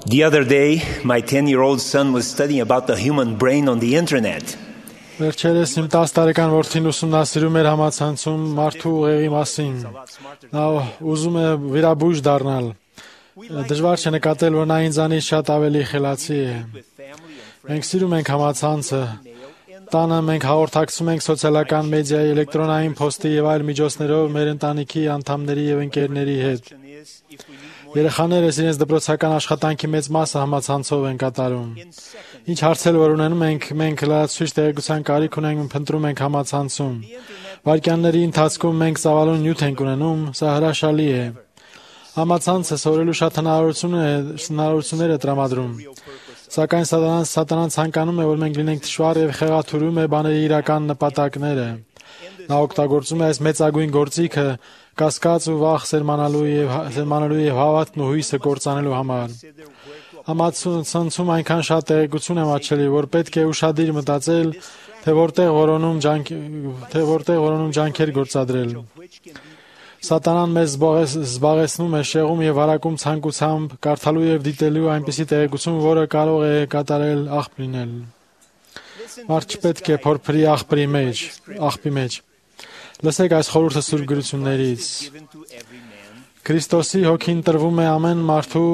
The other day, my 10-year-old son was studying about the human brain on the internet. Վերջերս իմ 10 տարեկան որդին ուսումնասիրում էր համացանցում մարդու ուղեղի մասին։ Նա ուզում է վիրաբույժ դառնալ։ Դժվար չէ նկատել, որ նա ինձանից շատ ավելի խելացի է։ Մենք սիրում ենք համացանցը։ Տանը մենք հաղորդակցում ենք սոցիալական մեդիայի, էլեկտրոնային փոստի եւ այլ միջոցներով մեր ընտանիքի անդամների եւ ընկերների հետ։ Երեխաներս իրենց դպրոցական աշխատանքի մեծ մասը համացանցով են կատարում։ Ինչ հարցեր որ ունենում մենք լրացուցիչ տեղեկության կարիք ունենք, փնտրում ենք համացանցում։ Վայրկյանների ընթացքում մենք ծավալուն նյութ ենք ունենում, սա հրաշալի է։ Համացանցը սովորելու շատ հնարավորություններ է տրամադրում։ Սակայն սատանան ցանկանում է, որ մենք լինենք թշվառ եւ խեղաթյուրում է բաների իրական նպատակները։ Նա օգտագործում է այս մեծագույն գործիքը կասկած ու վախ սերմանալու եւ հավատքն ու հույսը կործանելու համար։ Համացանցում այնքան շատ տեղեկություն է մատչելի, որ պետք է ուշադիր մտածել, թե որտեղ որոնում ջանքեր գործադրել։ Սատանան մեզ զբաղեցնում է շեղում եւ հարակում ցանկությամբ կարդալու եւ դիտելու այնպիսի տեղեկություն, որը կարող է կատարել աղբ լինել։ Մարդ չպետք է փորփրի աղբի մեջ։ Լսեք այս խորհուրդը Սուրբ գրություններից։ Քրիստոսի հոգին տրվում է ամեն մարդու,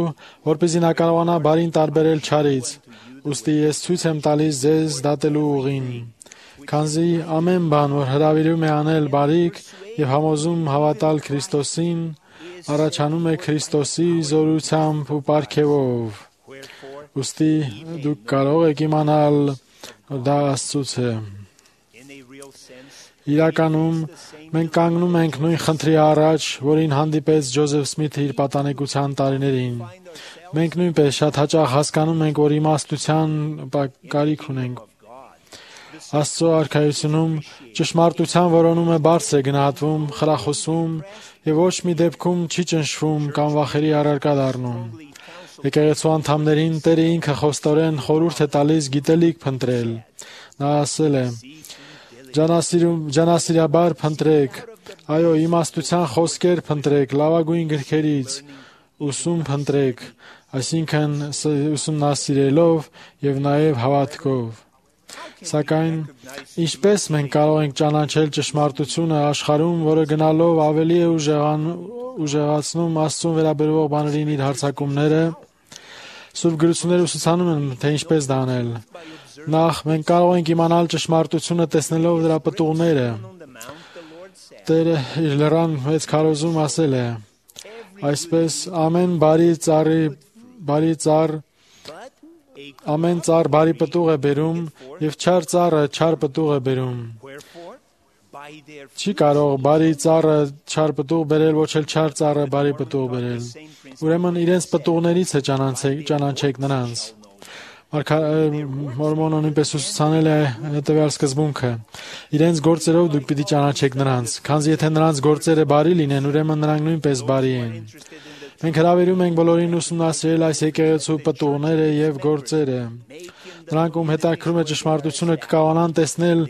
որպեսզի նա կարողանա բարին տարբերել չարից։ Ուստի ես ցույց եմ տալիս ձեզ դատելու ուղին, քանզի ամեն բան, որ հրավիրում է անել բարիք եւ համոզում հավատալ Քրիստոսին, առաջանում է Քրիստոսի զորությամբ ու պարգևով։ Ուստի դուք կարող եք իմանալ, որ դա Աստծուց է։ Իրականում մենք կանգնում ենք նույն խնդրի առաջ, որին հանդիպեց Ջոզեֆ Սմիթը իր պատանեկության տարիներին։ Մենք նույնպես շատ հաճախ հասկանում ենք, որ իմաստության կարիք ունենք։ Աստծո արքայությունում ճշմարտության որոնումը բարձր է գնահատվում, խրախուսվում եւ ոչ մի դեպքում չի ճնշվում կամ վախերի առարկա դառնում։ Եկեղեցու անդամներին Տերը ինքը խոստորեն խորհուրդ է տալիս գիտելիք փնտրել։ Նա ասել է. Ջանասիրաբար փնտրեք, այո, իմաստության խոսքեր փնտրեք, լավագույն գրքերից, ուսում փնտրեք, այսինքն ուսումնասիրելով եւ նաեւ հավատքով։ Սակայն ինչպես մենք կարող ենք ճանաչել ճշմարտությունը աշխարհում, որը գնալով ավելի է ուժեղացնում Աստծուն վերաբերող բաներին իր հարձակումները։ Սուրբ գրությունները ուսուցանում են, թե ինչպես դա անել։ Նախ մենք կարող ենք իմանալ ճշմարտությունը տեսնելով դրա պտուղները։ Տերը իր լեռան մեծ քարոզում ասել է. այսպես ամեն ծառ բարի պտուղ է բերում եւ չար ծառը չար պտուղ է բերում։ Չի կարող բարի ծառը չար պտուղ բերել, ոչ էլ չար ծառը բարի պտուղ բերել։ Ուրեմն իրենց պտուղներից է ճանաչեք նրանց։ Մորմոնը նույնպես ուսուցանել է հետևյալ սկզբունքը. իրենց գործերով դուք պիտի ճանաչեք նրանց, քանզի եթե նրանց գործերը բարի լինեն, ուրեմն նրանք նույնպես բարի են։ Մենք հրավիրում ենք բոլորին ուսումնասիրել այս եկեղեցու պտուղները եւ գործերը։ Նրանք, ում հետաքրում է ճշմարտությունը, կկարողանան տեսնել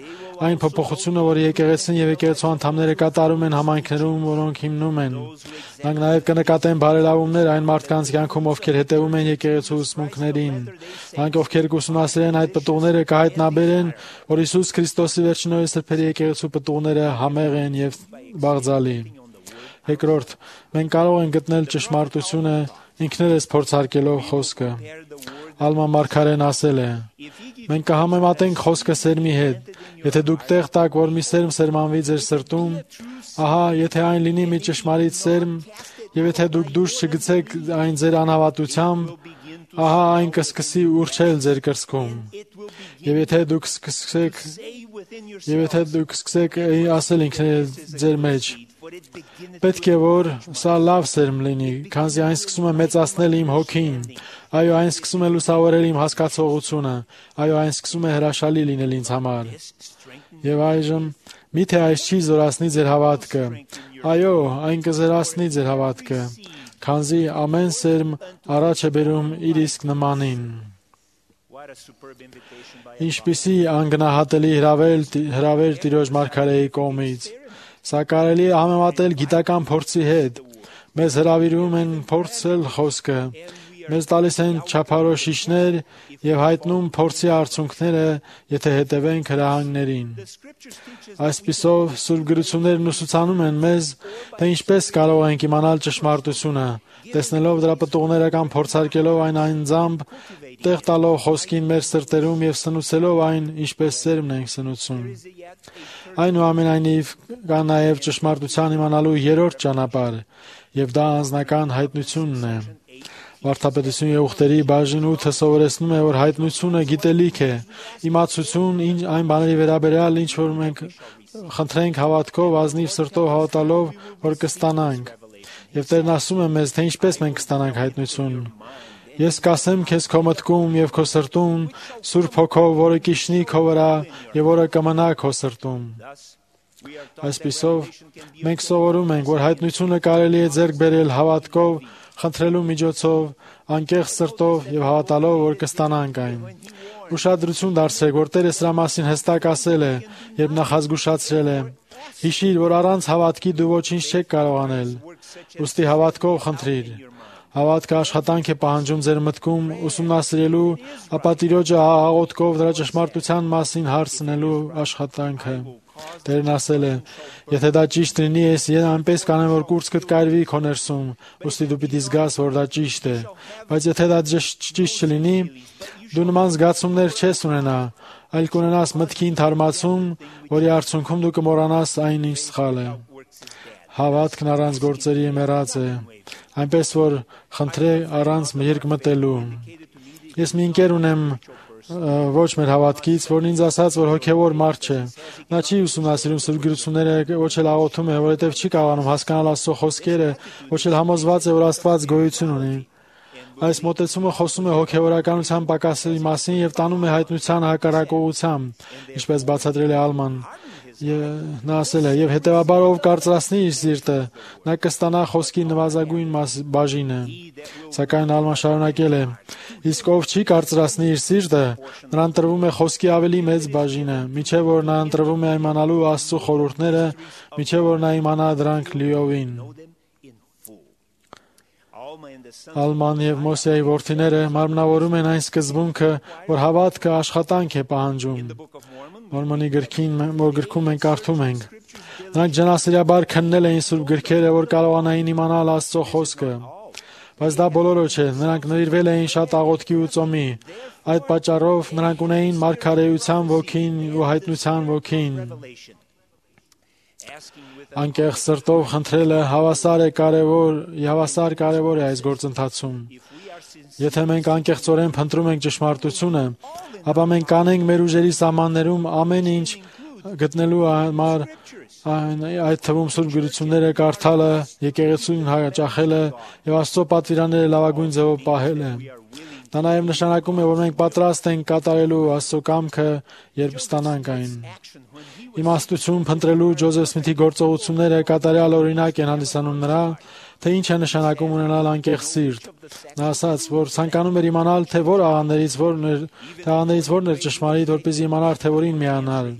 այն փոփոխությունը, որ եկեղեցին եւ եկեղեցու անդամները կատարում են համայնքներում, որոնք հիմնում են։ Նրանք նաեւ կնկատեն բարելավումներ այն մարդկանց կյանքում, ովքեր հետևում են եկեղեցու ուսմունքներին։ Նրանք, ովքեր կուսումնասիրեն այդ պտուղները, կհայտնաբերեն, որ Հիսուս Քրիստոսի վերջին օրերի սրբերի եկեղեցու պտուղները համեղ են եւ բաղձալի։ Երկրորդ, մենք կարող ենք գտնել ճշմարտությունը ինքներս փորձարկելով խոսքը։ Ալման Մարգարեն ասել է. մենք կհամեմատենք խոսքը սերմի հետ։ Եթե դուք տեղ տաք, որ մի սերմ սերմանվի ձեր սրտում, ահա, եթե այն լինի մի ճշմարիտ սերմ, եւ եթե դուք դուրս չգցեք այն ձեր անհավատությամբ, ահա այն կսկսի ուռչել ձեր կրծքում։ Եվ եթե դուք սկսեք ասել ինքներդ ձեր մեջ. պետք է որ սա լավ սերմ լինի, քանզի այն սկսում է մեծացնել իմ հոգին, այո, այն սկսում է լուսավորել իմ հասկացողությունը, այո, այն սկսում է հրաշալի լինել ինձ համար։ Եվ այժմ, միթե այս չի զորացնի ձեր հավատքը, այո, այն կզորացնի ձեր հավատքը, քանզի ամեն սերմ առաջ է բերում իր իսկ նմանին։ Ինչպիսի անգնահատելի հրավեր Տիրոջ Մարգարեի կողմից։ Սա կարելի է համեմատել գիտական փորձի հետ։ Մեզ հրավիրում են փորձել խոսքը, Մեզ տալիս են չափորոշիչներ եւ հայտնում փորձի արդյունքները, եթե հետևենք հրահանգներին։ Այսպիսով, Սուրբ գրություններն ուսուցանում են մեզ, թե ինչպես կարող ենք իմանալ ճշմարտությունը, տեսնելով դրա պտուղները կամ փորձարկելով այն անձամբ, տեղ տալով խոսքին մեր սրտերում եւ սնուցելով այն, ինչպես սերմն ենք սնուցում։ Այնուամենայնիվ, կա նաեւ ճշմարտության իմանալու երրորդ ճանապարհ, եւ դա անձնական հայտնությունն է։ Վարդապետություն եւ ուխտերի բաժին 8-ը սովորեցնում է, որ հայտնությունը գիտելիք է, իմացություն այն բաների վերաբերյալ, ինչ որ մենք խնդրենք հավատքով, ազնիվ սրտով հավատալով, որ կստանանք։ Եվ Տերն ասում է մեզ, թե ինչպես մենք կստանանք հայտնություն։ Ես կասեմ քեզ քո մտքում եւ քո սրտում, Սուրբ Հոգով, որը կիջնի քո վրա եւ որը կմնա քո սրտում։ Այսպիսով, մենք սովորում ենք, որ հայտնությունը կարելի է ձեռք բերել հավատքով, խնդրելու միջոցով, անկեղծ սրտով եւ հավատալով, որ կստանանք այն։ Ուշադրություն դարձրեք, որ Տերը սրա մասին հստակ ասել է, երբ նախազգուշացրել է. Հիշիր, որ առանց հավատքի դու ոչինչ չեք կարող անել։ Ուստի հավատքով խնդրիր։ Հավատքը աշխատանք է պահանջում ձեր մտքում ուսումնասիրելու, ապա Տիրոջը աղոթքով դրա ճշմարտության մասին հարցնելու աշխատանքը։ Տերն ասել է. եթե դա ճիշտ լինի, ես այնպես կանեմ, որ կուրծքդ կայրվի քո ներսում, ուստի դու պիտի զգաս, որ դա ճիշտ է։ Բայց եթե դա ճիշտ չլինի, դու նման զգացումներ չես ունենա, այլ կունենաս մտքին թարմացում, որի արդյունքում դու կմոռանաս այն, ինչ սխալ է։ Հավատքն առանց գործերի մեռած է, այնպես որ խնդրե առանց երկմտելու։ Ես մի ընկեր ունեմ ոչ մեր հավատքից, որն ինձ ասաց, որ հոգևոր մարդ չէ։ Նա չի ուսումնասիրում Սուրբ գրությունները, ոչ էլ աղոթում է, որովհետև չի կարողանում հասկանալ Աստծո խոսքերը, ոչ էլ համոզված է, որ Աստված գոյություն ունի։ Այս մոտեցումը խոսում է հոգևորականության պակասի մասին եւ տանում է հայտնության հակառակողությամբ, ինչպես բացատրել է Ալման։ Նա ասել է, եւ հետեւաբար ով կարծրացնի իր սիրտը, նա կստանա խոսքի նվազագույն բաժինը։ Սակայն Ալման շարունակել է. իսկ ով չի կարծրացնի իր սիրտը, նրան տրվում է խոսքի ավելի մեծ բաժինը, միջև որ նա ընտրվում է իմանալու Աստծո խորհուրդները, միջև որ նա իմանա դրանք լիովին։ Ալման եւ Մոսեի որդիները մարմնավորում են այն սկզբունքը, որ հավատքը աշխատանք է պահանջում։ Մորմոնի գրքում մենք կարդում ենք. նրանք ջանասիրաբար քննել էին Սուրբ գրքերը, որ կարողանային իմանալ Աստծո խոսքը։ Բայց դա բոլորը չէ, նրանք նվիրվել էին շատ աղոթքի ու ծոմի։ Այդ պատճառով նրանք ունեին մարգարեության ոգին ու հայտնության ոգին։ Անկեղծ սրտով խնդրելը հավասար կարևոր է այս գործընթացում։ Եթե մենք անկեղծորեն փնտրում ենք ճշմարտությունը, ապա մենք կանենք մեր ուժերի սահմաններում ամեն ինչ գտնելու համար, այդ թվում Սուրբ գրությունները կարդալը, եկեղեցուն հաճախելը եւ Աստծո պատվիրանները լավագույն ձևով պահելը։ Դա նաև նշանակում է, որ մենք պատրաստ ենք կատարելու Աստծո կամքը, երբ ստանանք այն։ Իմաստություն փնտրելու Ջոզեֆ Սմիթի գործողությունները կատարյալ օրինակ են հանդիսանում նրա, թե ինչ է նշանակում ունենալ անկեղծ սիրտ։ Նա ասաց, որ ցանկանում էր իմանալ, թե որ աղաներից որն էր ճշմարիտ, որպեսզի իմանար, թե որին միանալ։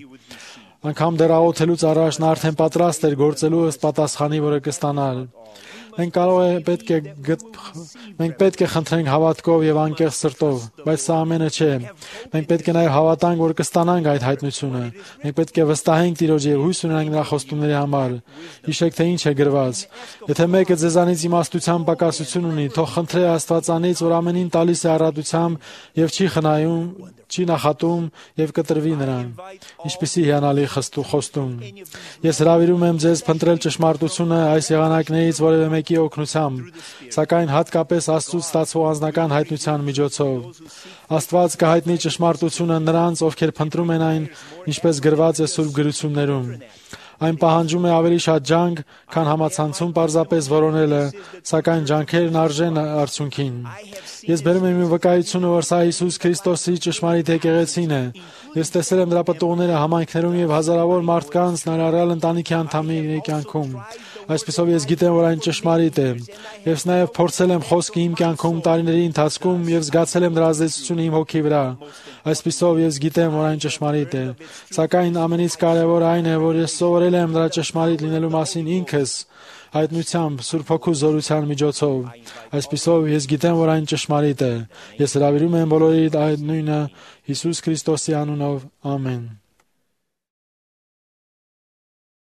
Անկամ դեռ աղոթելուց առաջ նա արդեն պատրաստ էր գործելու ըստ պատասխանի, որը կստանալ։ Մենք պետք է խնդրենք հավատքով եւ անկեղծ սրտով, բայց սա ամենը չէ։ Մենք պետք է նաեւ հավատանք, որ կստանանք այդ հայտնությունը։ Մենք պետք է վստահենք Տիրոջ եւ հույս ունենանք նրա խոստումների համար։ Հիշեք, թե ինչ է գրված. եթե մեկը ձեզանից իմաստության պակասություն ունի, թող խնդրե Աստվածանից, որ ամենին տալիս է առատությամբ եւ չի խնայում, չի նախատում եւ կտրվի նրան։ Ինչպիսի հիանալի խոստում։ Ես հրավիրում եմ ձեզ փնտրել ճշմարտությունը այս եղանակներից որևէ մեկի օգնությամբ, սակայն հատկապես Աստծուց ստացվող անձնական հայտնության միջոցով։ Աստված կհայտնի ճշմարտությունը նրանց, ովքեր փնտրում են այն, ինչպես գրված է Սուրբ գրություններում։ Այն պահանջում է ավելի շատ ջանք, քան համացանցում պարզապես որոնելը, սակայն ջանքերն արժեն արդյունքին։ Ես բերում եմ իմ վկայությունը, որ սա Հիսուս Քրիստոսի ճշմարիտ եկեղեցին է։ Ես տեսել եմ դրա պտուղները համայնքներում եւ հազարավոր մարդկանց ներառյալ ընտանիքի անդամների կյանքում։ Այսպիսով ես գիտեմ, որ այն ճշմարիտ է։ Ես նաև փորձել եմ խոսքը իմ կյանքում տարիների ընթացքում եւ զգացել եմ դրա ազդեցությունը իմ հոգի վրա։ Այսպիսով ես գիտեմ, որ այն ճշմարիտ է։ Սակայն ամենից կարևորը այն է, որ ես սովորել եմ դրա ճշմարիտ լինելու մասին ինքս, հայտնությամբ, Սուրբ Հոգու զորության միջոցով։ Այսպիսով ես գիտեմ, որ այն ճշմարիտ է։ Ես հրավիրում եմ բոլորիդ այդ նույնը Հիսուս Քրիստոսի անունով։ Ամեն։